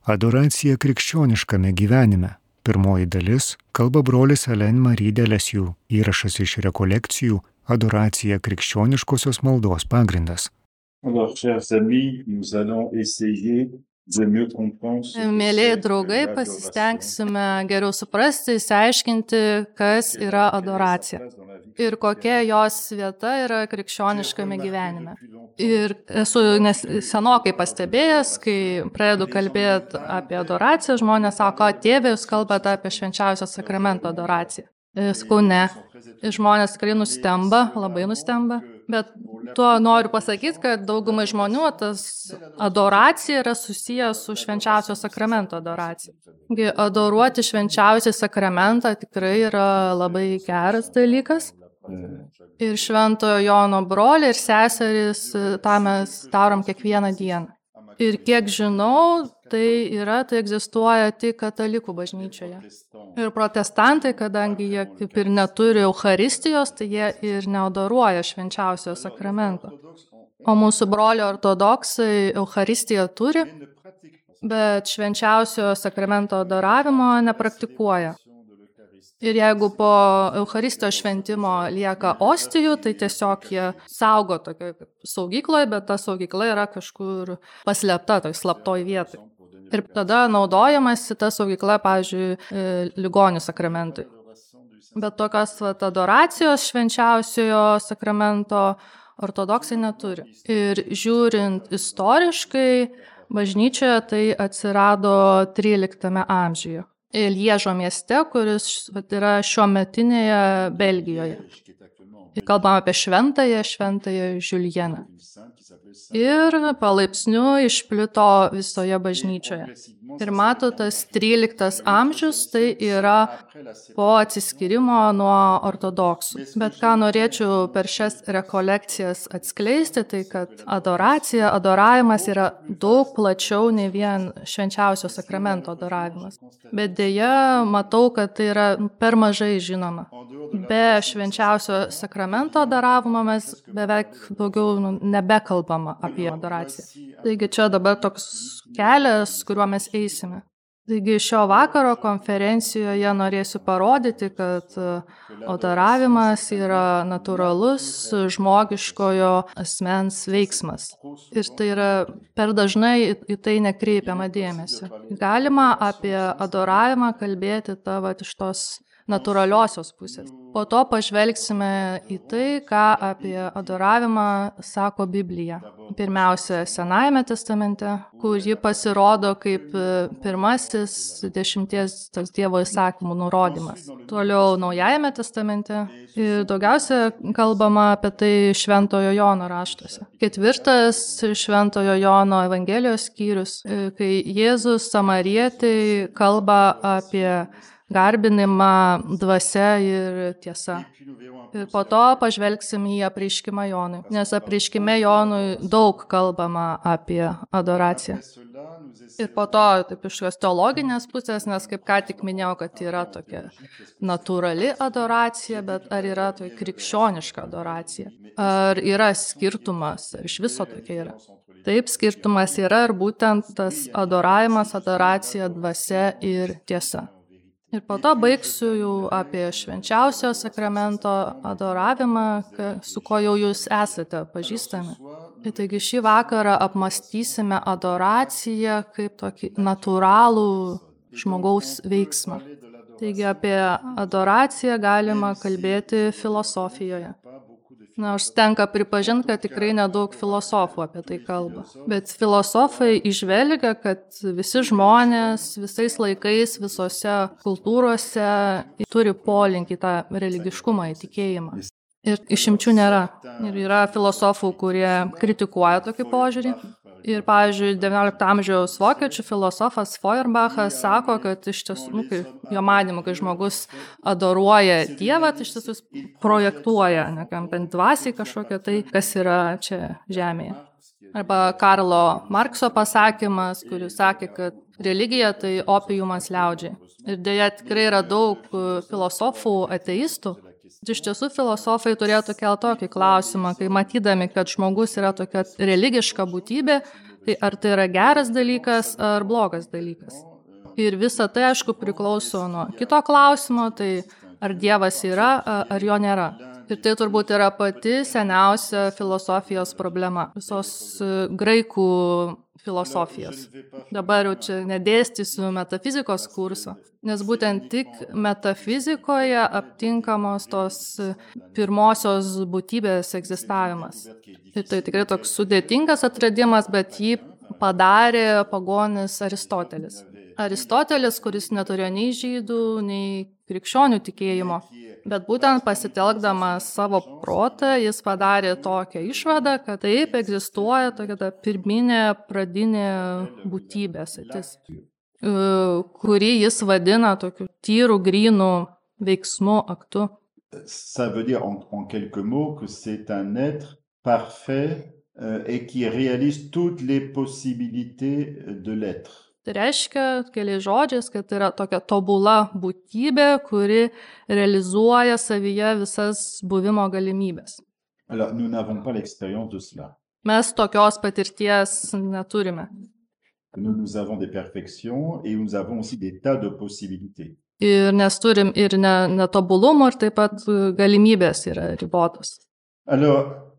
Adoracija krikščioniškame gyvenime. Pirmoji dalis kalba brolis Alain Marie de Lesieux. Įrašas iš rekolekcijų Adoracija krikščioniškosios maldos pagrindas. Alors, chers amis, nous allons essayer de mieux comprendre ce que Mėlyje c'est draugai, l'adoration. pasistengsime geriau suprasti, išsiaiškinti, kas yra adoracija ir kokia jos vieta yra krikščioniškame gyvenime. Ir esu senokai pastebėjęs, kai pradedu kalbėti apie adoraciją, žmonės sako, tėve, jūs kalbate apie švenčiausio sakramento adoraciją. Sakau, ne. Ir žmonės tikrai nustemba, labai nustemba. Bet tuo noriu pasakyti, kad daugumai žmonių tas adoracija yra susijęs su švenčiausio sakramento adoracija. Adoruoti švenčiausią sakramentą tikrai yra labai geras dalykas. Ir Šventojo Jono broliai ir seserys tą mes darom kiekvieną dieną. Ir kiek žinau, tai egzistuoja tik katalikų bažnyčioje. Ir protestantai, kadangi jie kaip ir neturi Eucharistijos, tai jie ir neadoruoja švenčiausiojo sakramento. O mūsų broliai ortodoksai Eucharistiją turi, bet švenčiausiojo sakramento adoravimo nepraktikuoja. Ir jeigu po Eucharistijos šventimo lieka ostijų, tai tiesiog jie saugo tokioje saugykloje, bet ta saugykla yra kažkur paslėpta, toj slaptoj vietoj. Ir tada naudojamasi ta saugykla, pavyzdžiui, ligonių sakramentui. Bet tokios adoracijos švenčiausiojo sakramento ortodoksai neturi. Ir žiūrint istoriškai, bažnyčioje tai atsirado 13 amžiuje. Liežo mieste, kuris yra šiuometinėje Belgijoje. Kalbame apie šventąją Žiuljeną. Ir palaipsniui išplito visoje bažnyčioje. Ir mato, tas 13 amžius tai yra po atsiskyrimo nuo ortodoksų. Bet ką norėčiau per šias rekolekcijas atskleisti, tai kad adoravimas yra daug plačiau nei vien švenčiausio sakramento adoravimas. Bet deja, matau, kad tai yra per mažai žinoma. Be švenčiausio sakramento adoravimo mes beveik daugiau nebekalbama apie adoraciją. Taigi čia dabar toks kelias, kuriuo mes eisime. Taigi šio vakaro konferencijoje norėsiu parodyti, kad adoravimas yra natūralus žmogiškojo asmens veiksmas. Ir tai yra per dažnai į tai nekreipiama dėmesio. Galima apie adoravimą kalbėti iš tos natūraliosios pusės. Po to pažvelgsime į tai, ką apie adoravimą sako Biblija. Pirmiausia, Senajame testamente, kur ji pasirodo kaip pirmasis 10 Dievo įsakymų nurodymas. Toliau Naujajame testamente ir daugiausia kalbama apie tai Šventojo Jono raštuose. 4 Šventojo Jono Evangelijos skyrius, kai Jėzus samarietei kalba apie garbinimą dvasia ir tiesa. Ir po to pažvelgsim į apreiškimą Jonui, nes apreiškime Jonui daug kalbama apie adoraciją. Ir po to, taip iš šios teologinės pusės, nes kaip ką tik minėjau, kad yra tokia natūrali adoracija, bet ar yra tokia krikščioniška adoracija? Ar yra skirtumas, ar iš viso tokia yra? Taip, skirtumas yra ir būtent tas adoravimas, adoracija, dvasia ir tiesa. Ir po to baigsiu jau apie švenčiausio sakramento adoravimą, su ko jau jūs esate pažįstami. Ir taigi šį vakarą apmąstysime adoraciją kaip tokį natūralų žmogaus veiksmą. Taigi apie adoraciją galima kalbėti filosofijoje. Nors tenka pripažinti, kad tikrai nedaug filosofų apie tai kalba. Bet filosofai įžvelgia, kad visi žmonės visais laikais, visose kultūrose turi polinkį tą religiškumą, įtikėjimą. Ir išimčių nėra. Ir yra filosofų, kurie kritikuoja tokį požiūrį. Ir, pavyzdžiui, XIX amžiaus vokiečių filosofas Feuerbachas sako, kad iš tiesų, jo manymu, kai žmogus adoruoja Dievą, tai iš tiesų projektuoja, bent dvasiai kažkokią tai, kas yra čia žemėje. Arba Karlo Markso pasakymas, kuris sakė, kad religija tai opiumas liaudžiai. Ir dėja tikrai yra daug filosofų ateistų. Iš tiesų filosofai turėtų kelti tokį klausimą, kai matydami, kad žmogus yra tokia religiška būtybė, Tai ar tai yra geras dalykas ar blogas dalykas. Ir visa tai, aišku, priklauso nuo kito klausimo, tai ar Dievas yra, ar jo nėra. Ir tai turbūt yra pati seniausia filosofijos problema, visos graikų filosofijos. Dabar jau čia nedėstysiu metafizikos kurso, nes būtent tik metafizikoje aptinkamos tos pirmosios būtybės egzistavimas. Ir tai tikrai toks sudėtingas atradimas, bet jį padarė pagonis Aristotelis. Aristotelis, kuris neturėjo nei žydų, nei krikščionių tikėjimo, bet būtent pasitelkdamas savo protą, jis padarė tokią išvadą, kad taip egzistuoja tokia ta pirminė pradinė būtybė, kurį jis vadina tokiu tyru, grynu veiksmu, aktu. Ça veut dire en quelques mots que c'est un être parfait et qui réalise toutes les possibilités de l'être. Tai reiškia, keliais žodžiais, kad tai yra tokia tobula būtybė, kuri realizuoja savyje visas buvimo galimybės. Alors, nous n'avons pas l'expérience de cela. Mes tokios patirties neturime. Nous avons des perfections et nous avons aussi des tas de possibilités. Ir nes turim ir netobulumų, ir taip pat galimybės yra ribotos. Alors,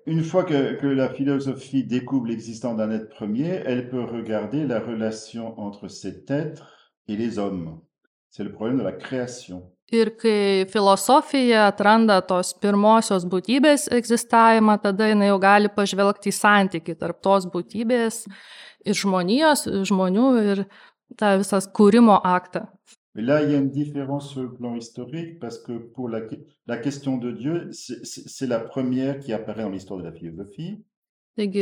une fois que la philosophie découvre l'existence d'un être premier, elle peut regarder la relation entre cet être et les hommes. C'est le problème de la création. Ir kai filosofija atranda tos pirmosios būtybės egzistavimą, tada jinai jau gali pažvelgti į santykį tarp tos būtybės ir žmonių ir tą visas kūrimo aktą. Mais là, il y a une différence sur le plan historique parce que pour la question de Dieu, c'est la première qui apparaît dans l'histoire de la philosophie. Taigi,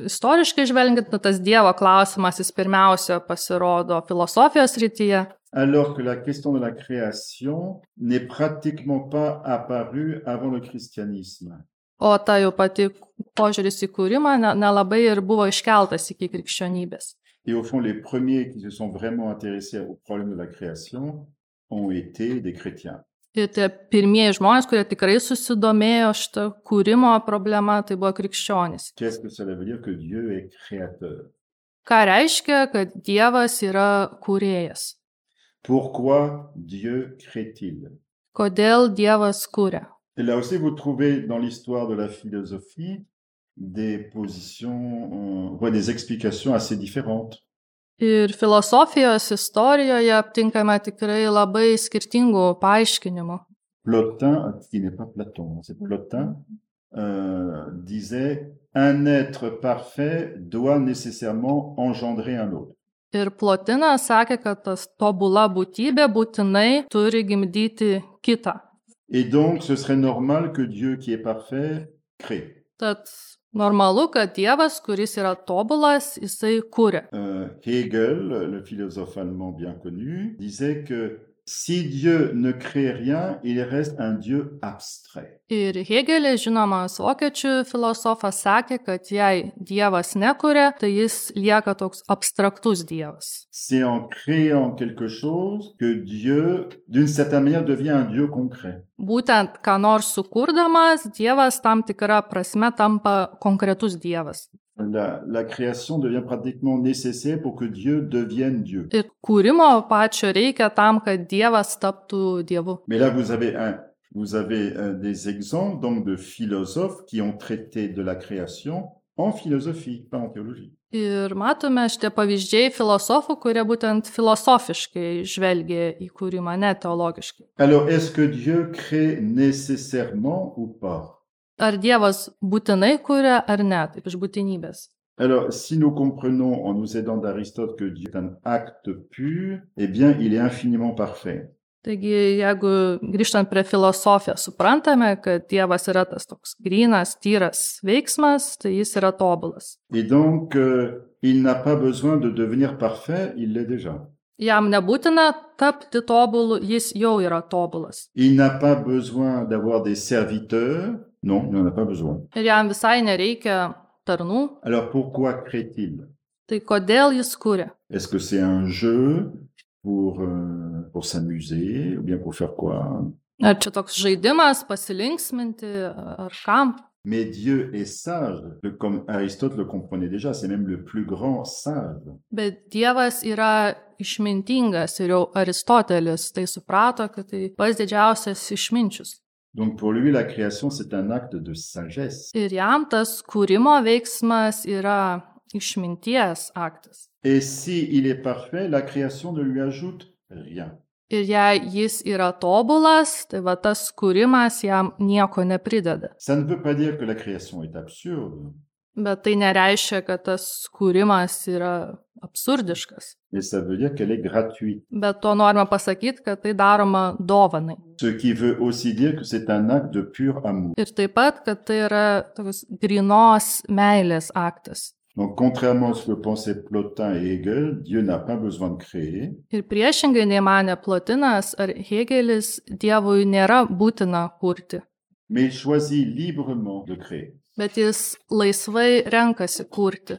istoriškai žvelgiant, tas Dievo klausimas jis pirmiausia pasirodo filosofijos srityje. Alors que la question de la création n'est pratiquement pas apparue avant le christianisme. O ta jau pati požiūris į kūrimą nelabai ir buvo iškeltas iki krikščionybės. Et au fond, les premiers qui se sont vraiment intéressés au problème de la création ont été des chrétiens. Ir tie pirmieji žmonės, kurie tikrai susidomėjo šitą kūrimo problemą, tai buvo krikščionys. Qu'est-ce que ça veut dire que Dieu est créateur? Ką reiškia, kad Dievas yra kūrėjas? Pourquoi Dieu crée-t-il? Kodėl Dievas kūrė? Et là aussi, vous trouvez dans l'histoire de la philosophie des positions, des explications assez différentes. Ir filosofijos istorijoje aptinkame tikrai labai skirtingų paaiškinimų. Plotin, qui n'est pas Platon, c'est Plotin, disait « Un être parfait doit nécessairement engendrer un autre ». Ir Plotinas sakė, kad tas tobula būtybė būtinai turi gimdyti kitą. Et donc, ce serait normal que Dieu, qui est parfait, crée. Tad normalu, kad Dievas, kuris yra tobulas, jisai kūrė. Hegel, le philosophe allemand bien connu, disait que si Dieu ne crée rien, il reste un Dieu abstrait. Ir Hegelis, žinomas vokiečių filosofas, sakė, kad jei Dievas nekūrė, tai jis lieka toks abstraktus Dievas. C'est en créant quelque chose que Dieu, d'une certaine manière, devient un Dieu concret. Būtent, ką nors sukurdamas, Dievas tam tikra prasme tampa konkretus Dievas. La création devient pratiquement nécessaire pour que Dieu devienne Dieu. Ir kūrimo pačio reikia tam, kad Dievas taptų Dievu. Mais là, vous avez des exemples donc de philosophes qui ont traité de la création en philosophie, pas en théologie. Ir matome šitie pavyzdžiai filosofų, kurie būtent filosofiškai žvelgia į kūrimą, ne teologiškai. Alors, est-ce que Dieu crée nécessairement ou pas? Ar Dievas būtinai kuria ar ne, taip iš būtinybės? Alors, si nous comprenons en nous aidant d'Aristote que Dieu est un acte pur, eh bien, il est infiniment parfait. Taigi, jeigu grįžtant prie filosofijos, suprantame, kad Dievas yra tas toks grynas, tyras veiksmas, tai jis yra tobulas. Et donc, il n'a pas besoin de devenir parfait, il l'est déjà. Jam nebūtina tapti tobulu, jis jau yra tobulas. Il n'a pas besoin d'avoir des serviteurs. Non, il n'en a pas besoin. Ir jam visai nereikia tarnų. Alors pourquoi crée-t-il? Tai kodėl jis kuria? Est-ce que c'est un jeu pour s'amuser ou bien pour faire quoi? Ar čia toks žaidimas, pasilinksminti, ar kam? Mais Dieu est sage, comme Aristote le comprenait déjà, c'est même le plus grand sage. Bet Dievas yra išmintingas ir jau Aristotelis tai suprato, kad tai pats didžiausias išminčius. Donc pour lui, la création, c'est un acte de sagesse. Ir jam tas kūrimo veiksmas yra išminties aktas. Et si il est parfait, la création ne lui ajoute rien. Ir jei jis yra tobulas, tai va tas kūrimas jam nieko neprideda. Ça ne veut pas dire que la création est absurde, Bet tai nereiškia, kad tas kūrimas yra absurdiškas. mais ça veut dire qu'elle est gratuite. Bet to norime pasakyti, kad tai daroma dovanai. Ce qui veut aussi dire que c'est un acte de pur amour. Ir taip pat, kad tai yra toks grynos meilės aktas. Donc, contrairement à ce que pensaient Plotin et Hegel, Dieu n'a pas besoin de créer. Ir priešingai nei manė Plotinas ar Hegelis, Dievui nėra būtina kurti. Mais il choisit librement de créer. Bet jis laisvai renkasi kurti.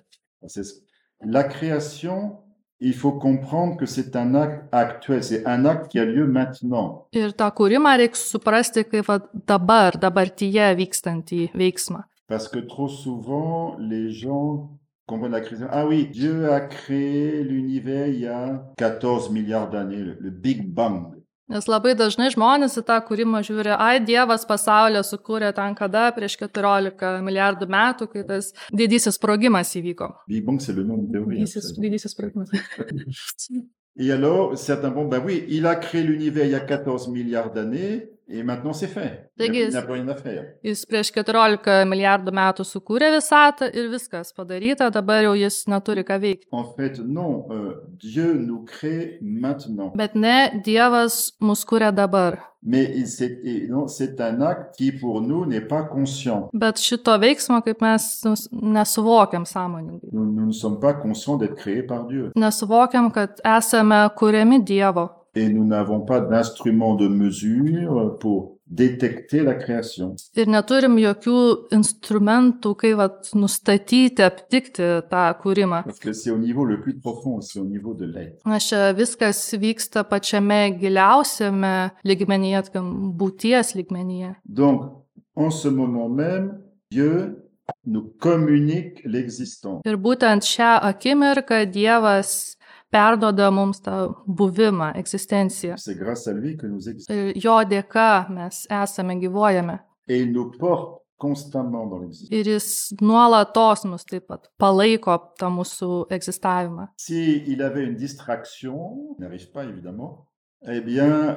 La création, il faut comprendre que c'est un acte actuel, c'est un acte qui a lieu maintenant. Ir tą kūrimą reikia suprasti kaip dabartyje vykstantį veiksmą. Parce que trop souvent, les gens comprennent la création. Ah oui, Dieu a créé l'univers il y a 14 milliards d'années, le Big Bang. Nes labai dažnai žmonės į tą kūrimą žiūri, Dievas pasaulio sukūrė ten kada prieš 14 milijardų metų, kai tas didysis sprogimas įvyko. Big Bang, c'est le nom de théorie. Didysis sprogimas. Et alors, certains vont, ben oui, il a créé l'univers il y a 14 milliards d'années, et maintenant c'est fait. Il n'a plus rien à faire. Jis prieš 14 milijardų metų sukūrė visatą ir viskas padaryta, dabar jau jis neturi ką veikti. En fait, non, Dieu nous crée maintenant. Bet ne, Dievas mus kūrė dabar. Mais c'est un acte qui pour nous n'est pas conscient. Bet šito veiksmo, kaip mes nesuvokiam sąmoningai. Nous ne sommes pas conscients d'être créés par Dieu. Nesuvokiam, kad esame kuriami Dievo. Et nous n'avons pas d'instrument de mesure pour détecter la création. Ir neturim jokių instrumentų, kaip nustatyti, aptikti tą kūrimą. Parce que c'est au niveau le plus profond, c'est au niveau de l'être. Nes čia viskas vyksta pačiame giliausiame lygmenyje, būties lygmenyje. Donc, en ce moment même, Dieu nous communique l'existence. Ir būtent šią akimirką Dievas perduoda mums tą buvimą, egzistenciją. C'est grâce à lui que nous existons. Ir jo dėka mes esame, gyvuojame. Et il nous porte constamment dans l'existence. Ir jis nuolatos mus taip pat palaiko tą mūsų egzistavimą. Si il avait une distraction, n'arrive pas évidemment, eh bien,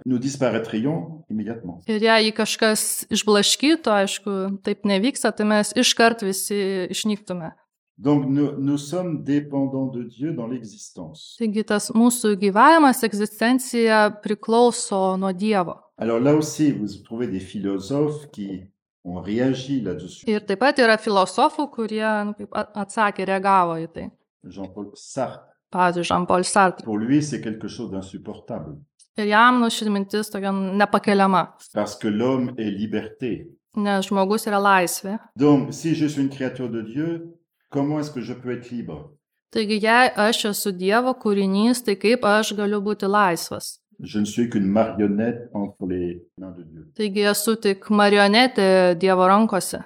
nous disparaîtrions immédiatement. Ir jei kažkas išblaškytų, aišku, taip nevyksta, tai mes iškart visi išnyktume. Donc, nous sommes dépendants de Dieu dans l'existence. Taigi tas mūsų gyvavimas, egzistencija priklauso nuo Dievo. Alors là aussi, vous trouvez des philosophes qui ont réagi là-dessus. Ir taip pat yra filosofų, kurie atsakė, reagavo į tai. Jean-Paul Sartre. Pavyzdžiui, Jean-Paul Sartre. Pour lui, c'est quelque chose d'insupportable. Ir jam ši mintis tokia nepakeliama. Parce que l'homme est liberté. Nes žmogus yra laisvė. Donc, si je suis une créature de Dieu, comment est-ce que je peux être libre? Taigi, jei aš esu Dievo kūrinys, tai kaip aš galiu būti laisvas? Je ne suis qu'une marionnette entre les mains de Dieu. Taigi, esu tik marionetė Dievo rankose.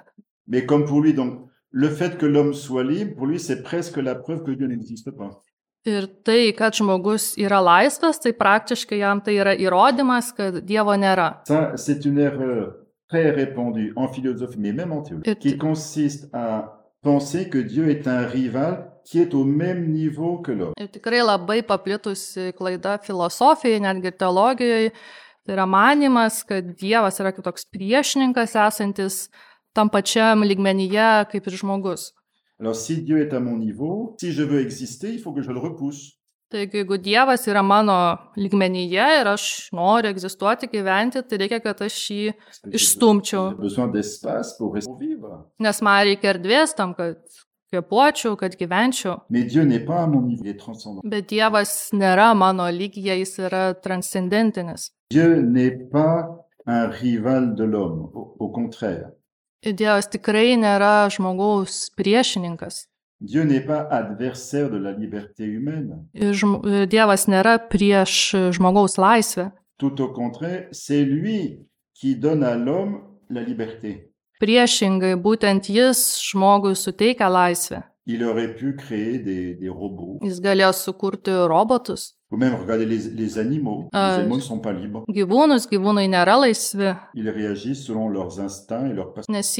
Mais comme pour lui, donc, le fait que l'homme soit libre, pour lui, c'est presque la preuve que Dieu n'existe pas. Ir tai, kad žmogus yra laisvas, tai praktiškai jam tai yra įrodymas, kad Dievo nėra. Ça, c'est une erreur très répandue en philosophie, mais même en théologie, qui consiste à penser que Dieu est un rival qui est au même niveau que l'homme. Ir tikrai labai paplitusi klaida filosofijoje, netgi teologijoje, tai yra manimas, kad Dievas yra kitoks priešininkas esantis tam pačiam lygmenyje kaip ir žmogus. Alors si Dieu est à mon niveau, si je veux exister, il faut que je le repousse. Taigi, jeigu Dievas yra mano lygmenyje ir aš noriu egzistuoti, gyventi, tai reikia, kad aš jį išstumčiau. Nes man reikia erdvės tam, kad kvėpuočiau, kad gyvenčiau. Bet Dievas nėra mano lygyje, jis yra transcendentinis. Dievas tikrai nėra žmogaus priešininkas. Dieu n'est pas adversaire de la liberté humaine. Dievas nėra prieš žmogaus laisvę. Tout au contraire, c'est lui qui donne à l'homme la liberté. Priešingai, būtent jis žmogui suteikia laisvę. Il aurait pu créer des robots. Jis galėjo sukurti robotus. Ou même regarder les animaux. Les animaux ne sont pas libres. Gyvūnai nėra laisvi, Ils réagissent selon leurs instincts et leurs passions. nes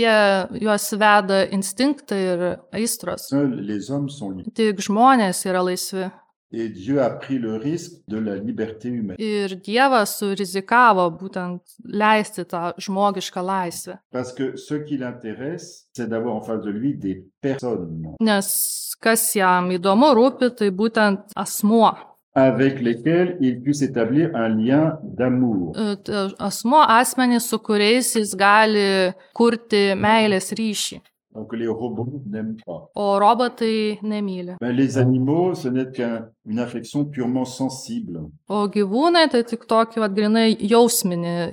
juos veda instinktai ir aistros. Seuls les hommes sont libres. Tik žmonės yra laisvi. Et Dieu a pris le risque de la liberté humaine. Ir Dievas surizikavo būtent leisti tą žmogišką laisvę. Parce que ce qui l'intéresse, c'est d'avoir en face de lui des personnes Nes kas jam įdomu rūpi, tai būtent asmuo. avec lesquelles il puisse établir un lien d'amour. Asmuo asmenys, su kuriais jis gali kurti meilės ryšį. Donc les robots n'aiment pas. O robotai nemyli. Les animaux, ce n'est qu'une affection purement sensible. O gyvūnai tai tik tokį, grinai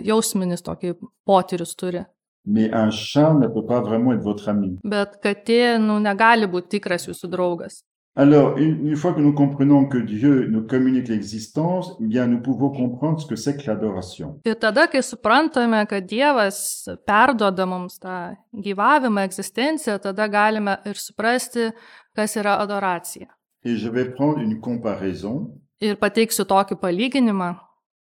jausminis tokį potyrius turi. Mais un chat ne peut pas vraiment être votre ami. Bet katė, negali būti tikras jūsų draugas. Alors, une fois que nous comprenons que Dieu nous communique l'existence, eh bien, nous pouvons comprendre ce que c'est que l'adoration. Ir tada, kai suprantame, kad Dievas perduoda mums tą gyvavimą, egzistenciją, tada galime ir suprasti, kas yra adoracija. Et je vais prendre une comparaison. Ir pateiksiu tokį palyginimą.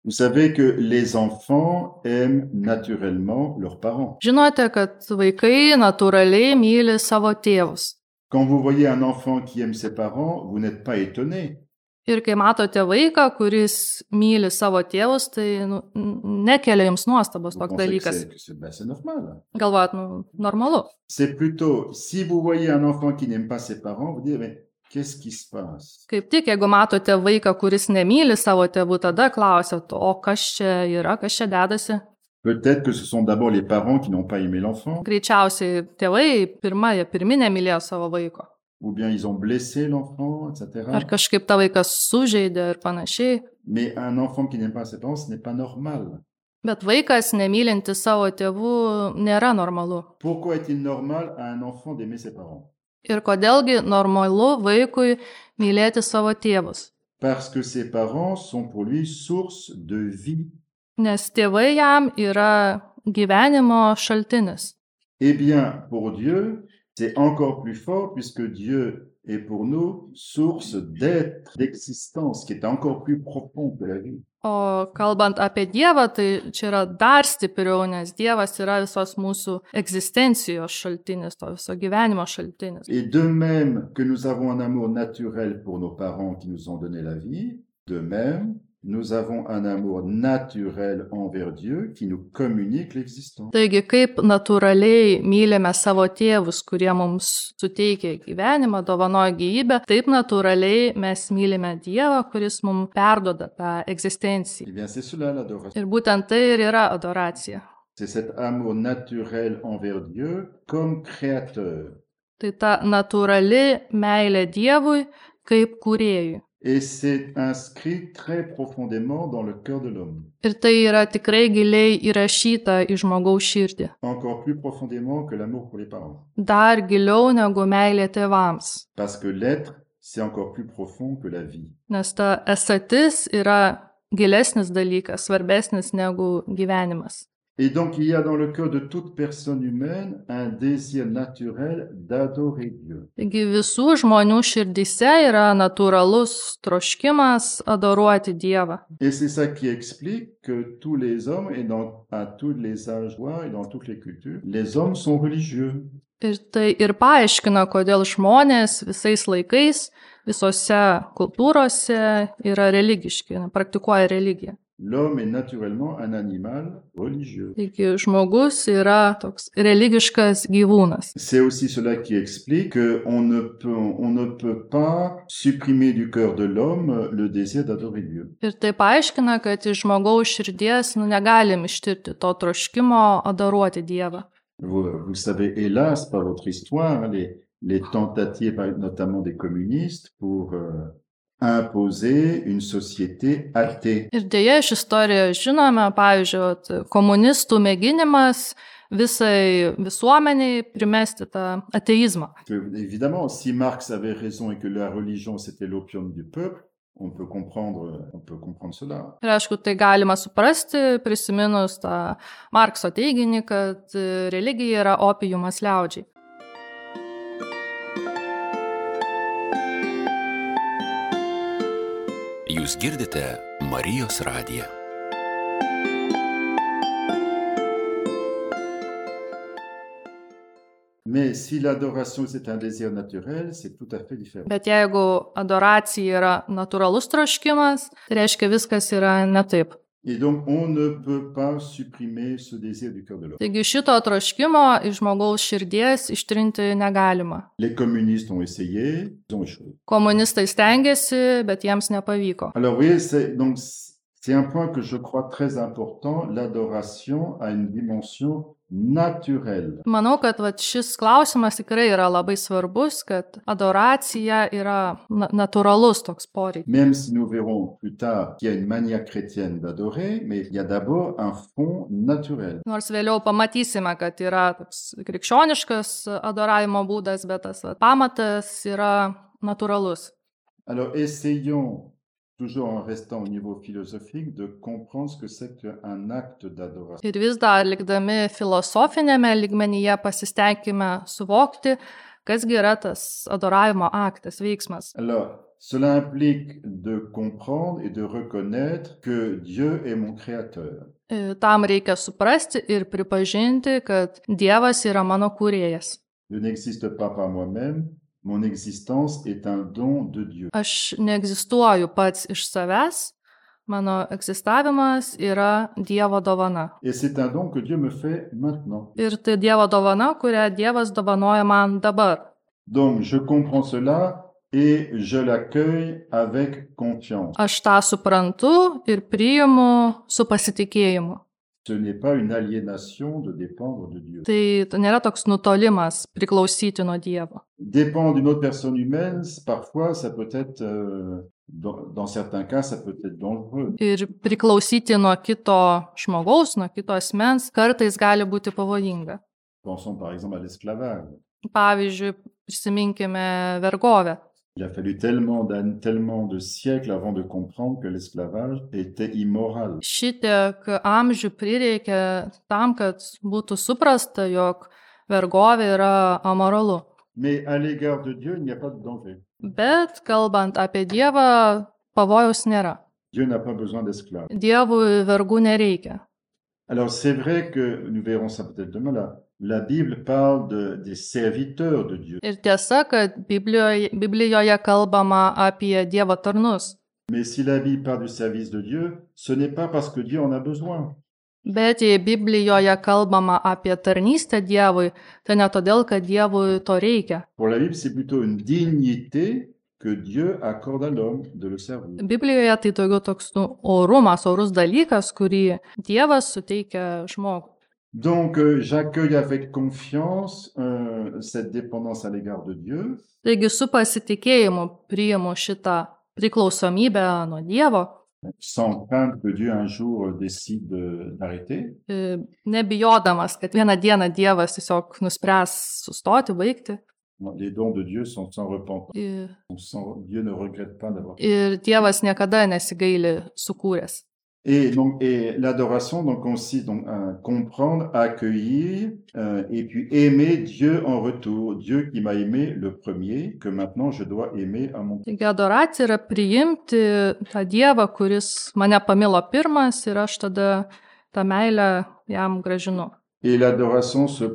Vous savez que les enfants aiment naturellement leurs parents. Žinote, kad vaikai natūraliai myli savo tėvus. Quand vous voyez un enfant qui aime ses parents, vous n'êtes pas étonné. Ir kai matote vaiką, kuris myli savo tėvus, tai nekelia jums nuostabos Vous toks pensez dalykas. que c'est normal. Galvojat, normalu. C'est plutôt, si vous voyez un enfant qui n'aime pas ses parents, vous dites, mais qu'est-ce qui se passe? Kaip tik, jeigu matote vaiką, kuris nemyli savo tėvų, tada klausėt, o kas čia yra, kas čia dedasi? Peut-être que ce sont d'abord les parents qui n'ont pas aimé l'enfant, Greičiausiai tėvai pirminė mylėjo savo vaiko. ou bien ils ont blessé l'enfant, etc. Ar kažkaip tą vaiką sužeidė ir panašiai. Mais un enfant qui n'aime pas ses parents, ce n'est pas normal. Bet vaikas nemylinti savo tėvų nėra normalu. Pourquoi est-il normal à un enfant d'aimer ses parents? Ir kodėlgi normalu vaikui mylėti savo tėvus? Parce que ses parents sont pour lui source de vie. Nes tėvai jam yra gyvenimo šaltinis. Eh bien, pour Dieu, c'est encore plus fort puisque Dieu est pour nous source d'être, d'existence, qui est encore plus profond que la vie. O kalbant apie Dievą, tai čia yra dar stipriau, nes Dievas yra visos mūsų egzistencijos šaltinis, to viso gyvenimo šaltinis. Et de même que nous avons un amour naturel pour nos parents qui nous ont donné la vie, de même, nous avons un amour naturel envers Dieu qui nous communique l'existence. Taigi, kaip natūraliai mylime savo tėvus, kurie mums suteikia gyvenimą, dovanoja gyvybę, taip natūraliai mes mylime Dievą, kuris mums perduoda tą egzistenciją. Eh bien, c'est cela l'adoration. Ir būtent tai ir yra adoracija. C'est cet amour naturel envers Dieu comme créateur. Tai ta natūrali meilė Dievui kaip kūrėjui. Et c'est inscrit très profondément dans le cœur de l'homme. Ir tai yra tikrai giliai įrašyta į žmogaus širdį. Encore plus profondément que l'amour pour les parents. Dar giliau negu meilė tėvams. Parce que l'être, c'est encore plus profond que la vie. Nes ta esatis yra gilesnis dalykas, svarbesnis negu gyvenimas. Et donc, il y a dans le cœur de toute personne humaine un désir naturel d'adorer Dieu. Taigi visų žmonių širdyse yra natūralus troškimas adoruoti Dievą. Et c'est ça qui explique que tous les hommes, et à tous les âges et dans toutes les cultures, les hommes sont religieux. Ir tai ir paaiškina, kodėl žmonės visais laikais, visose kultūrose yra religiški, praktikuoja religiją. L'homme est naturellement un animal religieux. Taigi žmogus yra toks religiškas gyvūnas. C'est aussi cela qui explique qu'on ne peut pas supprimer du cœur de l'homme le désir d'adorer Dieu. Ir tai paaiškina, kad iš žmogaus širdies negalim ištirti to troškimo adoruoti Dievą. Vous savez, hélas, par votre histoire, les tentatives, notamment des communistes, pour imposer une société athée. Ir dėja iš istorijos žinome, pavyzdžiui, komunistų mėginimas visai visuomeniai primesti tą ateizmą. Évidemment, si Marx avait raison et que la religion c'était l'opium du peuple, On peut comprendre cela. Ir aišku, tai galima suprasti, prisiminus tą Markso teiginį, kad religija yra opiumas liaudžiai. Jūs girdite Marijos radiją. Mais si l'adoration c'est un désir naturel, c'est tout à fait différent. Bet jeigu adoracija yra natūralus troškimas, tai reiškia viskas yra ne taip. Et donc on ne peut pas supprimer ce désir du cœur de l'homme. Taigi šito troškimo iš žmogaus širdies ištrinti negalima. Les communistes ont essayé, ils ont échoué. Komunistai stengiasi, bet jiems nepavyko. Alors vous voyez, c'est un point que je crois très important, l'adoration a une dimension naturelle. Manau, kad šis klausimas tikrai yra labai svarbus, kad adoracija yra natūralus toks poreikis. Même si nous verrons plus tard qu'il y a une manière chrétienne d'adorer, mais il y a d'abord un fond naturel. Nors vėliau pamatysime, kad yra toks krikščioniškas adoravimo būdas, bet tas pamatas yra natūralus. Alors essayons, toujours en restant au niveau philosophique, de comprendre ce que c'est qu'un acte d'adoration. Ir vis dar likdami filosofinėme lygmenyje pasistengime suvokti, kasgi yra tas adoravimo aktas, veiksmas. Alors, cela implique de comprendre et de reconnaître que Dieu est mon créateur. Tam reikia suprasti ir pripažinti, kad Dievas yra mano kūrėjas. Je n'existe pas par moi-même. Mon existence est un don de Dieu. Aš neegzistuoju pats iš savęs, mano egzistavimas yra Dievo dovana. Et c'est un don que Dieu me fait maintenant. Ir tai Dievo dovana, kurią Dievas dovanoja man dabar. Donc je comprends cela et je l'accueille avec confiance. Aš tą suprantu ir priimu su pasitikėjimu. Ce n'est pas une aliénation de dépendre de Dieu. Tai nėra toks nutolimas priklausyti nuo Dievo. Dépendre d'une autre personne humaine, parfois, ça peut être, dans certains cas, ça peut être dangereux. Ir priklausyti nuo kito žmogaus, nuo kito asmens, kartais gali būti pavojinga. Pensons par exemple à l'esclavage. Pavyzdžiui, prisiminkime vergovę. Il a fallu tellement de siècles avant de comprendre que l'esclavage était immoral. Šitiek amžių prireikė tam, kad būtų suprasta, jog vergovė yra amoralu. Mais à l'égard de Dieu, il n'y a pas de danger. Bet kalbant apie Dievą, pavojaus nėra. Dieu n'a pas besoin d'esclaves. Dievui vergų nereikia. Alors c'est vrai que, nous verrons ça peut-être demain là, la Bible parle des serviteurs de Dieu. Ir tiesa, kad Biblijoje kalbama apie Dievo tarnus. Mais si la Bible parle du service de Dieu, ce n'est pas parce que Dieu en a besoin. Bet jei Biblijoje kalbama apie tarnystę Dievui, tai ne todėl, kad Dievui to reikia. Pour la Bible, c'est plutôt une dignité que Dieu accorde à l'homme de le servir. Biblijoje tai daugiau toks orumas, orus dalykas, kurį Dievas suteikia žmogui. Donc, j'accueille avec confiance cette dépendance à l'égard de Dieu. Taigi su pasitikėjimu priimu šitą priklausomybę nuo Dievo. Sans crainte que Dieu un jour décide d'arrêter. Nebijodamas, kad vieną dieną Dievas tiesiog nuspręs sustoti, baigti. Les dons de Dieu sont sans repentance. Dieu ne regrette pas d'avoir. Ir Dievas niekada nesigaili sukūręs. Et l'adoration donc consiste donc à comprendre, à accueillir et puis aimer Dieu en retour, Dieu qui m'a aimé le premier, que maintenant je dois aimer à mon tour. Taigi adoracija yra priimti tą Dievą, kuris mane pamilo pirmas ir aš tada tą meilę jam gražinu. Et l'adoration se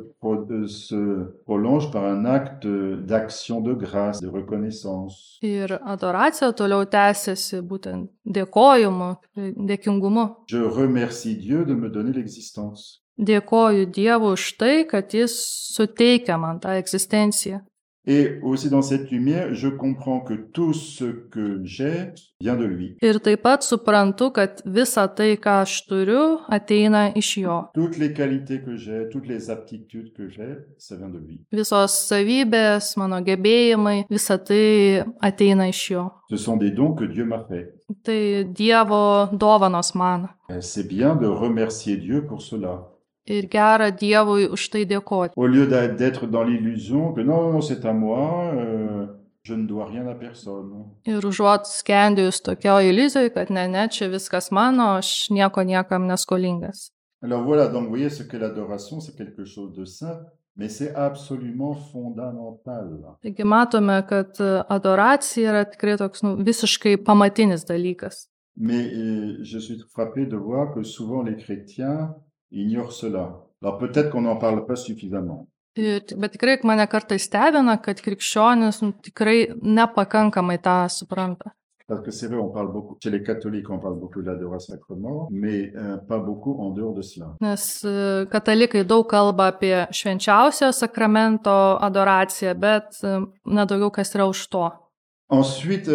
prolonge par un acte d'action de grâce, de reconnaissance. Ir adoracija toliau tęsiasi būtent dėkojimu, dėkingumu. Je remercie Dieu de me donner l'existence. Dėkoju Dievui už tai, kad jis suteikia man tą egzistenciją. Et aussi dans cette lumière, je comprends que tout ce que j'ai vient de lui. Ir taip pat suprantu, kad visa tai, ką aš turiu, ateina iš jo. Toutes les qualités que j'ai, toutes les aptitudes que j'ai, ça vient de lui. Visos savybės, mano gebėjimai, visa tai ateina iš jo. Ce sont des dons que Dieu m'a fait. Tai Dievo dovanos man. C'est bien de remercier Dieu pour cela. Ir gera Dievui už tai dėkoti. Au lieu d'être dans l'illusion que non, c'est à moi, Je ne dois rien à personne. Ir užuot skendėjus tokio iliuzijoj, kad ne, čia viskas mano, aš nieko niekam neskolingas. Alors voilà, donc vous voyez ce que l'adoration, c'est quelque chose de saint, mais c'est absolument fondamental. Taigi matome, kad adoracija yra tikrai toks visiškai pamatinis dalykas. Mais je suis frappé de voir que souvent les chrétiens ignorent cela. Alors peut-être qu'on n'en parle pas suffisamment. Bet tikrai mane kartais stebina, kad krikščionis tikrai nepakankamai tą supranta. Parce que c'est vrai, on parle beaucoup, chez les catholiques, on parle beaucoup de l'adoration sacrement, mais pas beaucoup en dehors de cela. Nes katalikai daug kalba apie švenčiausio sakramento adoraciją, bet nedaugiau kas yra už to. Ensuite,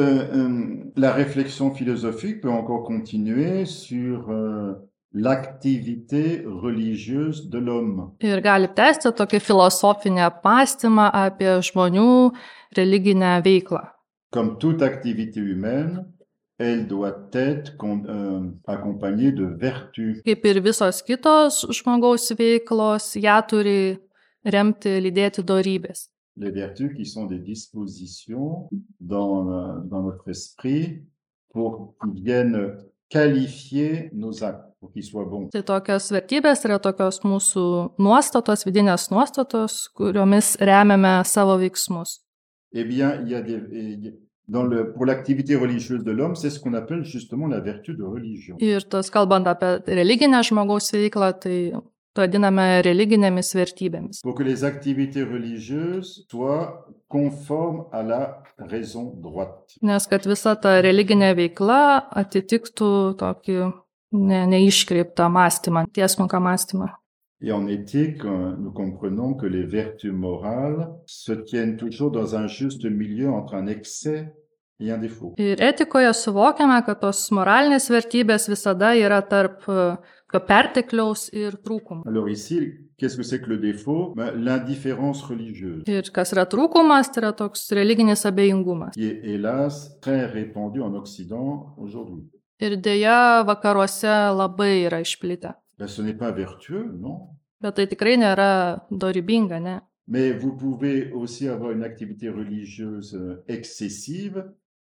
la réflexion philosophique peut encore continuer sur l'activité religieuse de l'homme. Ir gali tęsti tokį filosofinį apmąstymą apie žmonių religinę veiklą. Comme toute activité humaine, elle doit être accompagnée de vertus. Kaip ir visos kitos žmogaus veiklos, ją turi remti, lydėti dorybės. Les vertus qui sont des dispositions dans notre esprit pour qu'ils viennent qualifier nos actes, pour qu'ils soient bons. Tai tokios vertybės yra tokios mūsų nuostatos, vidinės nuostatos, kuriomis remiame savo veiksmus. Eh bien, il y a pour l'activité religieuse de l'homme, c'est ce qu'on appelle justement la vertu de religion. Ir tas kalbant apie religinę žmogaus veiklą, tai vadiname religinėmis vertybėmis. Pour que les activités religieuses soient conformes à la raison droite. Nes kad visa ta religinė veikla atitiktų tokį neiškreiptą mąstymą, tiesmuką mąstymą. Et en éthique, nous comprenons que les vertus morales se tiennent toujours dans un juste milieu entre un excès et un défaut. Ir etikoje suvokiame, kad tos moralinės vertybės visada yra tarp pertekliaus ir trūkumų. Alors ici, qu'est-ce que c'est que le défaut? L'indifférence religieuse. Ir kas yra trūkumas, tai yra toks religinis abejingumas. Qui est hélas très répandu en Occident aujourd'hui. Ir dėja vakaruose labai yra išplitę. Ce n'est pas vertueux, non? Bet tai tikrai nėra dorybinga, ne? Mais vous pouvez aussi avoir une activité religieuse excessive,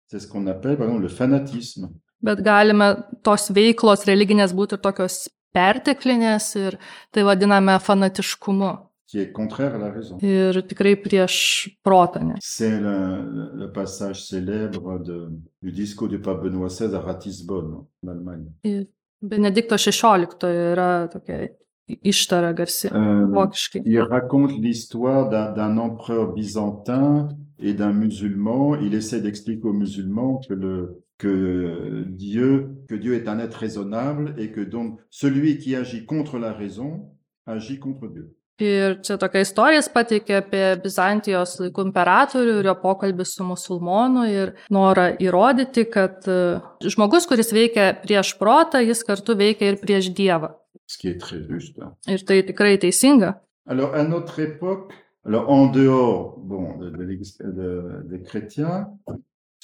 c'est ce qu'on appelle par exemple le fanatisme. Bet galime tos veiklos religinės būti ir tokios perteklinės ir tai vadiname fanatiškumu. Qui est contraire à la raison. Ir tikrai prieš protą. C'est le passage célèbre du discours du pape Benoît XVI à Ratisbonne, en Allemagne. Ir Benedikto XVI yra tokia ištara garsi vokiškai. Il raconte l'histoire d'un empereur byzantin et d'un musulman. Il essaie d'expliquer aux musulmans que Dieu est un être raisonnable et que donc celui qui agit contre la raison agit contre Dieu. Ir čia tokia istorija pateikia apie Bizantijos laikų imperatorių ir jo pokalbį su musulmonu ir norą įrodyti, kad žmogus, kuris veikia prieš protą, jis kartu veikia ir prieš Dievą. Ce qui est très juste. Ir tai tikrai teisinga. Alors, à notre époque, en dehors des chrétiens,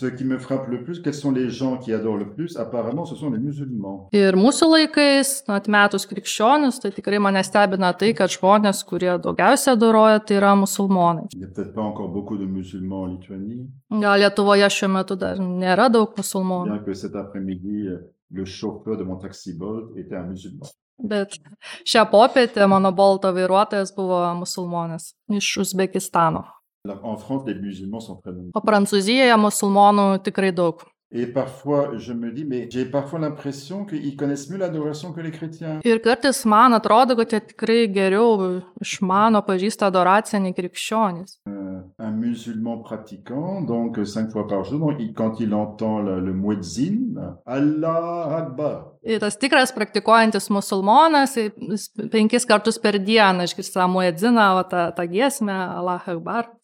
ce qui me frappe le plus, quels sont les gens qui adorent le plus? Apparemment, ce sont les musulmans. Ir mūsų laikais, atmetus krikščionius, tai tikrai mane stebina tai, kad žmonės, kurie daugiausia adoruoja, tai yra musulmonai. Il n'y a peut-être pas encore beaucoup de musulmans en Lituanie. Gal Lietuvoje šiuo metu dar nėra daug musulmonų. Bien que cet après-midi, le chauffeur de mon taxi Bolt était un musulman. Bet šią popietę mano Bolto vairuotojas buvo musulmonas iš Uzbekistano. En France, les musulmans sont très nombreux. O Prancūzijoje musulmonų tikrai daug. Et parfois, je me dis, mais j'ai parfois l'impression qu'ils connaissent mieux l'adoration que les chrétiens. Ir kartais man atrodo, kad jie tikrai geriau išmano, pažįsta adoraciją nei krikščionys. Un musulman pratiquant, donc 5 fois par jour, donc quand il entend le muezzin, Allah Akbar. Ir tas tikras praktikuojantis musulmonas 5 kartus per dieną išgirsta muedziną, tą giesmę, Allah Akbar.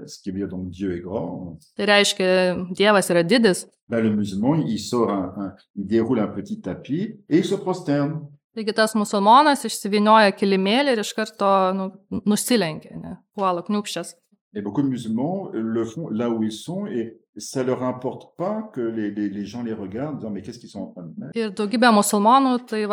Ce qui veut dire donc Dieu est grand. Tai reiškia, Dievas yra didis. Le musulman, il sort il déroule un petit tapis et il se prosterne. Taigi tas musulmonas išsivinioja kilimėlį ir iš karto nusilenkia, puola kniūpščias. Et beaucoup de musulmans le font là où ils sont et ça leur importe pas que les gens les regardent en disant mais qu'est-ce qu'ils sont en train de faire? Ir daugybė musulmonų tai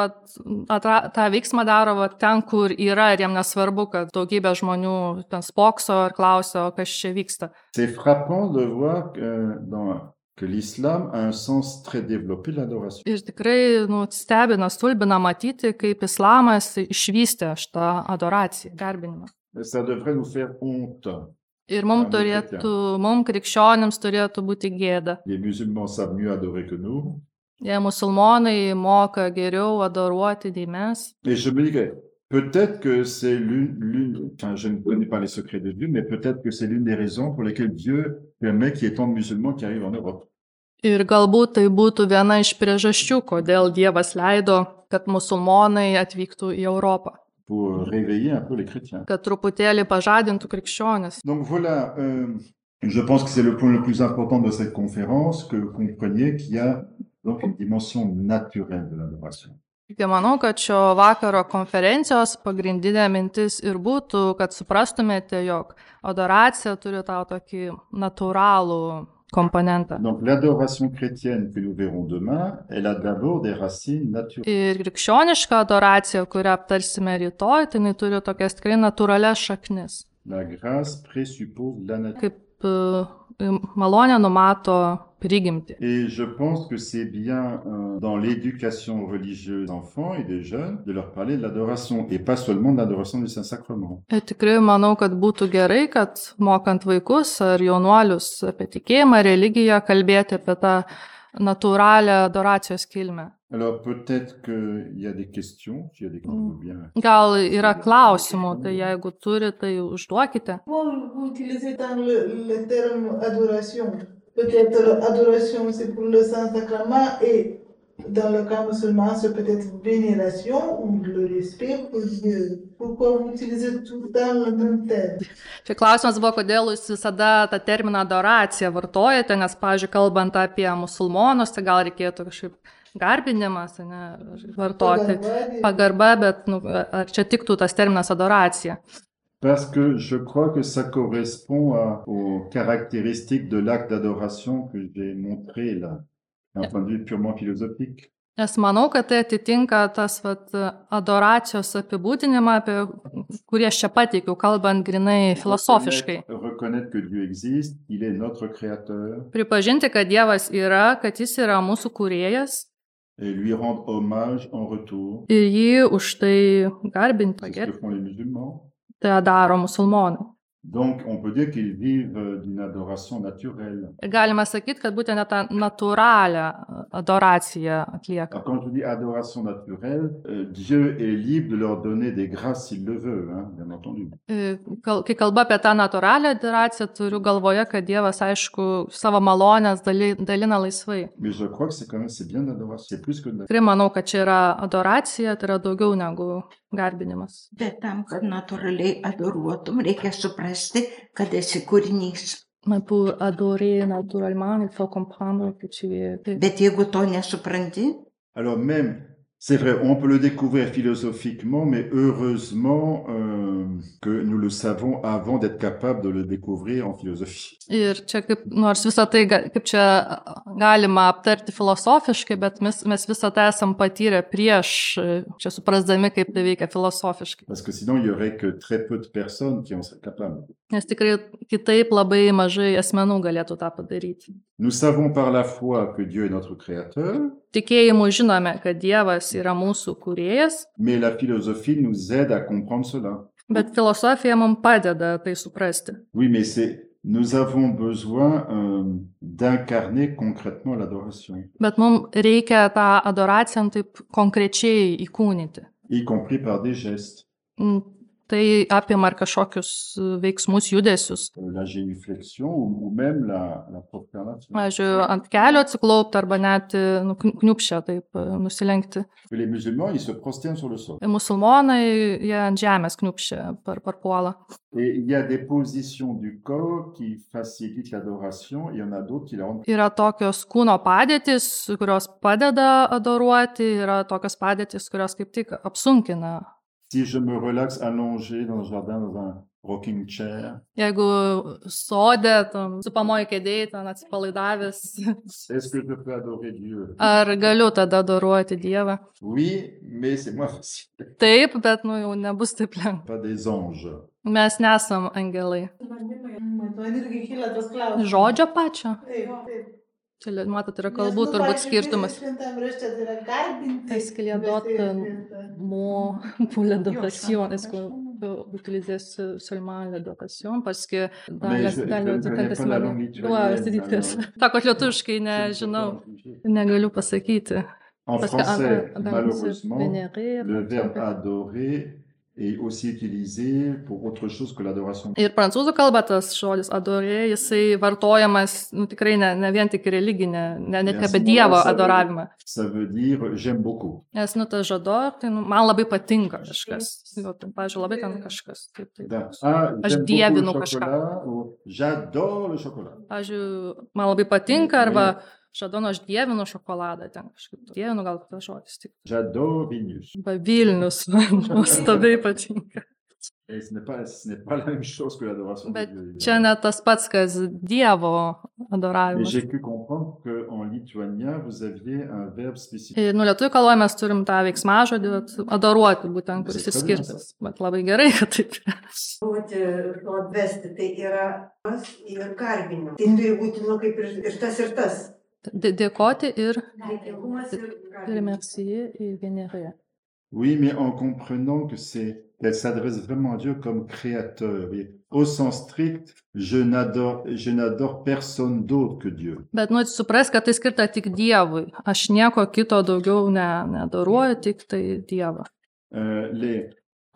tą veiksmą daro ten, kur yra, ir jiem nesvarbu, kad daugybė žmonių ten spokso ir klausia, kas čia vyksta. C'est frappant de voir que l'islam a un sens très développé de l'adoration. Ir tikrai stebina, stulbina matyti, kaip islamas išvystė šitą adoraciją, garbinimą. Ça devrait nous faire honte. Ir mums krikščionims turėtų būti gėda. Les musulmans savent mieux adorer que nous. Jei musulmonai moka geriau adoruoti nei mes. Et je me dis que peut-être que c'est enfin je ne connais pas les secrets de Dieu, mais peut-être que c'est l'une des raisons pour lesquelles Dieu permet qu'il y ait tant de musulmans qui arrivent en Europe. Ir galbūt tai būtų viena iš priežasčių, kodėl Dievas leido, kad musulmonai atvyktų į Europą. Pour réveiller un peu les chrétiens. Kad truputėlį pažadintų krikščionis. Donc voilà, je pense que c'est le point le plus important de cette conférence, que vous compreniez qu'il y a donc une dimension naturelle de l'adoration. Tai manau, kad šio vakaro konferencijos pagrindinė mintis ir būtų, kad suprastumėte, jog adoracija turi tą tokį natūralų komponentą. Donc l'adoration chrétienne que nous verrons demain, elle a d'abord des racines naturelles. Ir krikščioniška adoracija, kurią aptarsime rytoj, tai jinai turi tokias tikrai natūralias šaknis. La grâce présuppose la nature. Kaip malonė numato prigimtį. Et je pense que c'est bien dans l'éducation religieuse des enfants et des jeunes de leur parler de l'adoration et pas seulement de l'adoration du Saint-Sacrement. Ir tikrai manau, kad būtų gerai, kad mokant vaikus ar jaunuolius apie tikėjimą, religiją, kalbėti apie tą natūralią adoracijos kilmę. Alors peut-être qu'il y a des questions, s'il y a des questions bien. Gal yra klausimų, tai jeigu turi, tai užduokite. Vous utilisez dans le terme adoration. Peut-être adoration c'est pour le Saint-Sacrement et dans le cas musulman c'est peut-être vénération ou le respect pour Dieu. Pourquoi vous utilisez tout le temps le même terme? Čia klausimas buvo, kodėl jūs visada tą terminą adoracija vartojate, nes, pavyzdžiui, kalbant apie musulmonus, tai gal reikėtų kažkaip garbinimas, ne, vartoti pagarba, bet ar čia tiktų tas terminas adoracija? Parce que je crois que ça correspond aux caractéristiques de l'acte d'adoration que j'ai montré là, d'un point de vue purement philosophique. Nes manau, kad tai atitinka tas adoracijos apibūdinimą, apie kurį aš čia pateikiau, kalbant grinai filosofiškai. Reconnaître que Dieu existe, il est notre créateur. Pripažinti, kad Dievas yra, kad jis yra mūsų kūrėjas. Et lui rendre hommage en retour. Ir jį už tai garbinti. C'est ce que font les musulmans. Tai daro musulmonai. Donc, on peut dire qu'ils vivent d'une adoration naturelle. Galima sakyti, kad būtent tą natūralią adoraciją atlieka. Quand je dis adoration naturelle, Dieu est libre de leur donner des grâces s'il le veut, hein, bien entendu. Kai kalba apie tą natūralią adoraciją, turiu galvoje, kad Dievas, aišku, savo malonės dalina laisvai. Mais je crois que c'est bien l'adoration, c'est plus que de... Tikrai manau, kad čia yra adoracija, tai yra daugiau negu garbinimas. Bet tam, kad natūraliai adoruotum, reikia suprasti, kad esi kūrinys. Mais pour adorer naturellement, il faut comprendre que tu es... Bet jeigu to nesupranti... Alors même, c'est vrai, on peut le découvrir philosophiquement, mais heureusement que nous le savons avant d'être capable de le découvrir en philosophie. Ir čia nors visą tai, kaip čia galima aptarti filosofiškai, bet mes visą tai esam patyrę prieš, čia suprasdami, kaip tai veikia filosofiškai. Parce que sinon, il y aurait que très peu de personnes qui en seraient capables. Nes tikrai kitaip labai mažai asmenų galėtų tą padaryti. Nous savons par la foi que Dieu est notre créateur. Tikėjimu žinome, kad Dievas yra mūsų kūrėjas. Mais la philosophie nous aide à comprendre cela. Bet filosofija mums padeda tai suprasti. Oui, mais nous avons besoin d'incarner concrètement l'adoration. Bet mums reikia tą adoraciją taip konkrečiai įkūnyti. Y compris par des gestes. Tai apima ir kažkokius veiksmus, judesius. La génuflexion ou même la prosternation. Pavyzdžiui, ant kelio atsiklaupti arba net kniupšę taip nusilenkti. Les musulmans, ils se prosternent sur le sol. Musulmonai, jie ant žemės kniupšę parpuola. Et il y a des positions du corps qui facilitent l'adoration, il y en a d'autres qui la rendent. Yra tokios kūno padėtys, kurios padeda adoruoti, yra tokios padėtys, kurios kaip tik apsunkina. Si je me relaxe allongé dans le jardin, dans un rocking chair. Jeigu sode, supamoji kėdėjai, ten atsipalaidavęs, Est-ce que je peux adorer Dieu? ar galiu tada adoruoti Dievą? Oui, mais c'est moins facile. Taip, bet jau nebus taip lengva. Pas des anges. Mes nesam angelai. Man irgi kyla tas klausimas. Žodžio pačio. Taip. Čia, matot, yra kalbų turbūt skirtumas. Šventam rašte tai yra garbinti. Est-ce qu'il y a d'autres mots pour l'adoration? Est-ce qu'on utilise seulement l'adoration? Parce que dans le Testament... Sakot, lietuviškai nežinau, negaliu pasakyti. En français, malheureusement, le verbe adorer est aussi utilisé pour autre chose que l'adoration. Ir prancūzų kalba tas žodis adorė, jisai vartojamas tikrai ne vien tik religinė, net apie Dievo adoravimą. Ça veut dire j'aime beaucoup. Nes tas žodor, tai man labai patinka kažkas. Pavyzdžiui, labai ten kažkas. Aš dievinu kažką. J'adore le chocolat. Pavyzdžiui, man labai patinka arba Žadono, aš dievinu šokoladą ten kažkaip. Dievinu gal tas žodis tik. J'adore Vilnius. Vilnius, man nuostabiai patinka. Ce n'est pas la même chose que l'adoration de Dieu. Bet čia ne tas pats, kas Dievo adoravimas. Mais j'ai pu comprendre qu'en lituanien, vous aviez un verbe spécifique. Ir lietuvių kalboje mes turim tą veiksmažodį adoruoti, būtent, kuris ir skirtas. Bet labai gerai, kad taip yra. Atvesti tai yra ir garbinimas. Tai turi būti, kaip ir tas. Dėkoti ir remercier et vénérer. Oui, mais en comprenant qu'elle s'adresse vraiment à Dieu comme créateur. Au sens strict, je n'adore personne d'autre que Dieu. Bet supras, kad tai skirta tik Dievui. Aš nieko kito daugiau neadoruoju, tik tai Dievą.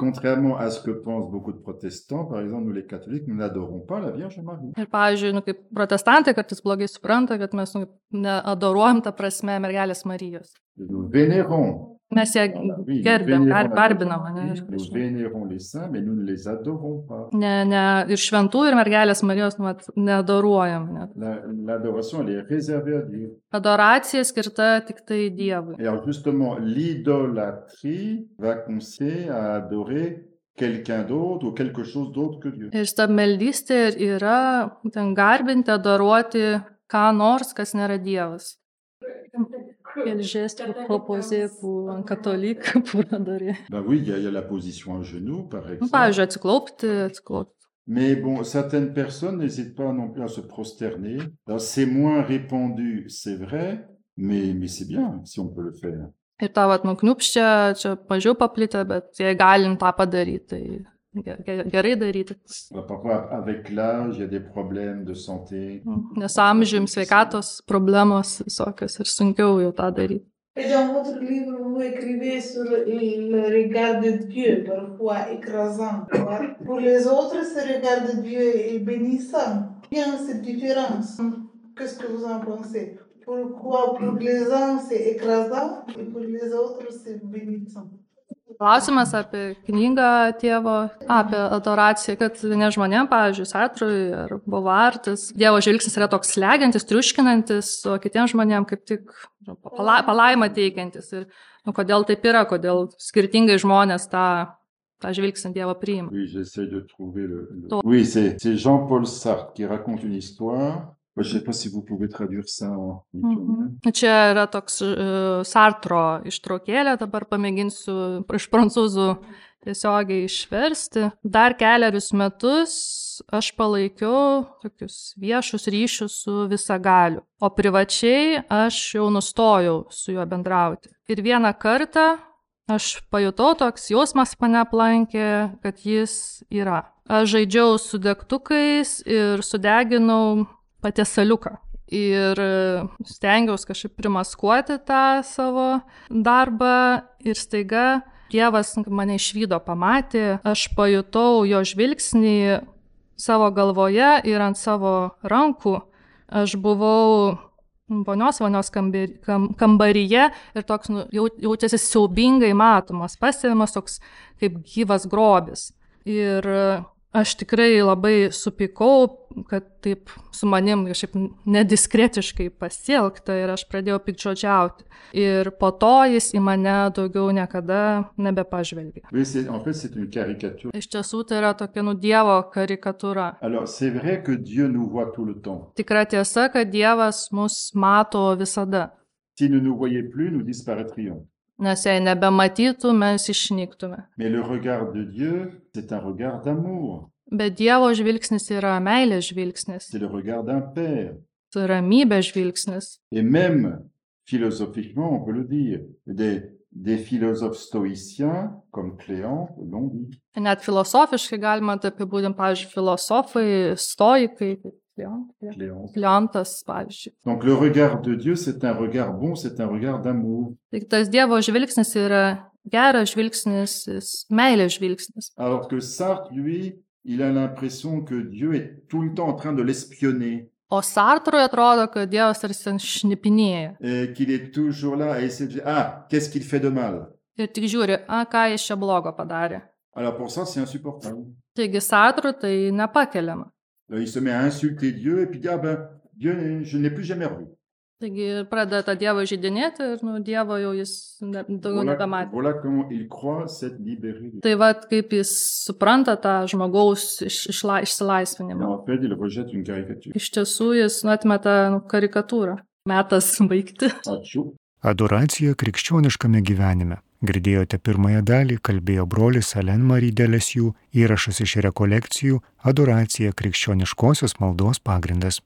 Contrairement à ce que pensent beaucoup de protestants, par exemple, nous les catholiques, nous n'adorons pas la Vierge Marie. Ir pavyzdžiui, kaip protestantai kartais blogai supranta, kad mes neadoruojam tą prasme mergelės Marijos. Nous vénérons. Mes ją gerbėm, garbinam. Nous vénérons les saints, mais nous ne les adorons pas. Ir šventų, ir mergelės Marijos neadoruojam. L'adoration, elle est réservée à Dieu. Adoracija skirta tik tai Dievui. Et alors justement, l'idolâtrie va consister à adorer quelqu'un d'autre ou quelque chose d'autre que Dieu. Ir stabmeldystė yra garbinti, adoruoti ką nors, kas nėra Dievas. Quel geste vous proposez pour un catholique pour adorer? Ben oui, il y a la position à genoux, par exemple. Pavyzdžiui, atsiklaupti. Mais bon, certaines personnes n'hésitent pas non plus à se prosterner. Alors, c'est moins répandu, c'est vrai, mais c'est bien si on peut le faire. Ir tą nukniupščia, čia mažiau paplitę, bet jei galim tą padaryti, tai gerai daryti. Parfois, avec l'âge, il y a des problèmes de santé. Nes amžium sveikatos problemos visokios ir sunkiau jau tą daryti. Et dans votre livre, vous écrivez sur le regard de Dieu, parfois écrasant. Pour les autres, ce regard de Dieu est bénissant. Bien cette différence. Qu'est-ce que vous en pensez? Pourquoi pour les uns c'est écrasant et pour les autres c'est bénissant? Klausimas apie knygą tėvo, apie adoraciją, kad ne žmonėm, pavyzdžiui, Sartrui ar Bovartis, Dievo žvilgsnis yra toks slegiantis, triuškinantis, o kitiems žmonėm kaip tik palaimą teikiantis. Ir kodėl taip yra, kodėl skirtingai žmonės tą žvilgsnį Dievo priima. Oui, j'essaie de trouver Oui, c'est Jean-Paul Sartre qui raconte une histoire. Je ne sais pas si vous pouvez traduire ça en lituanien. Čia yra toks Sartro ištraukėlė, dabar pamėginsiu iš prancūzų tiesiogiai išversti. Dar keliarius metus aš palaikiau tokius viešus ryšius su visagaliu, o privačiai aš jau nustojau su juo bendrauti. Ir vieną kartą aš pajutau, toks jausmas mane aplankė, kad jis yra. Aš žaidžiau su degtukais ir sudeginau patiesaliuką. Ir stengiausi kažkaip primaskuoti tą savo darbą ir staiga Dievas mane išvydo, pamatė, aš pajutau jo žvilgsnį savo galvoje ir ant savo rankų. Aš buvau vonios kambaryje ir toks jautėsi siaubingai matomas, pastebimas toks kaip gyvas grobis. Ir Aš tikrai labai supykau, kad taip su manim kažkaip nediskretiškai pasielgta ir aš pradėjau piktžodžiauti. Ir po to jis į mane daugiau niekada nebepažvelgė. Oui, en fait, c'est une caricature. Iš tiesų tai yra tokia Dievo karikatūra. Alors, c'est vrai que Dieu nous voit tout le temps. Tikra tiesa, kad Dievas mus mato visada. S'il ne nous voyait plus, nous disparaîtrions. Nes jei nebematytų, mes išnyktume. Mais le regard de Dieu, c'est un regard d'amour. Bet Dievo žvilgsnis yra meilės žvilgsnis. C'est le regard d'un père. Tai ramybės žvilgsnis. Et même, philosophiquement, on peut le dire, des philosophes stoïciens, comme Cléant, l'ont dit. Net filosofiškai galima tai apibūdinti, pavyzdžiui, filosofai, stoikai, Kleontas, pavyzdžiui. Donc le regard de Dieu, c'est un regard bon, c'est un regard d'amour. Tai tas Dievo žvilgsnis yra geras žvilgsnis, meilės žvilgsnis. Alors que Sartre, lui, il a l'impression que Dieu est tout le temps en train de l'espionner. O Sartrui atrodo, kad Dievas tarsi šnipinėja. Et qu'il est toujours là à essayer de dire, ah, qu'est-ce qu'il fait de mal? Ir tik žiūri, ką jis čia blogo padarė. Alors pour ça, c'est insupportable. Taigi Sartrui tai nepakeliama. Il se met à insulter Dieu et puis dit, ah ben, Dieu, je ne l'ai plus jamais revu. Taigi pradeda tą Dievą žydinėti ir Dievo jau jis daugiau nebematė. Voilà comment il croit s'être libéré. Tai vat kaip jis supranta tą žmogaus išsilaisvinimą. En fait, il rejette une caricature. Iš tiesų jis atmeta karikatūrą. Metas baigti. Ačiū. Adoracija krikščioniškame gyvenime. Girdėjote pirmąją dalį, kalbėjo brolis Alain Marie Delesieux, įrašas iš rekolekcijų Adoracija krikščioniškosios maldos pagrindas.